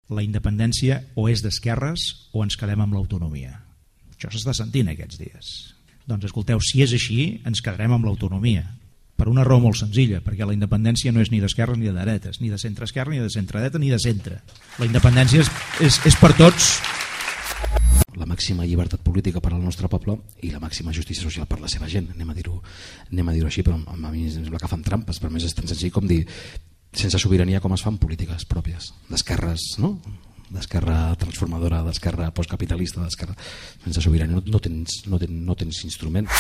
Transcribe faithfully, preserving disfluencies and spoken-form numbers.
la independència o és d'esquerres o ens quedem amb l'autonomia. Això s'està sentint aquests dies. Doncs escolteu, si és així, ens quedarem amb l'autonomia. Per una raó molt senzilla, perquè la independència no és ni d'esquerres ni de dretes, ni de centre-esquerra, ni de centre-dreta, ni de centre. La independència és, és, és per tots. La màxima llibertat política per al nostre poble i la màxima justícia social per la seva gent, anem a dir-ho anem a dir-ho així, però a mi em sembla que fan trampes, per més és tan senzill com dir sense sobirania com es fan polítiques pròpies d'esquerres, no? D'esquerra transformadora, d'esquerra postcapitalista, d'esquerra sense sobirania, no, no, tens, no, tens, no tens instrument.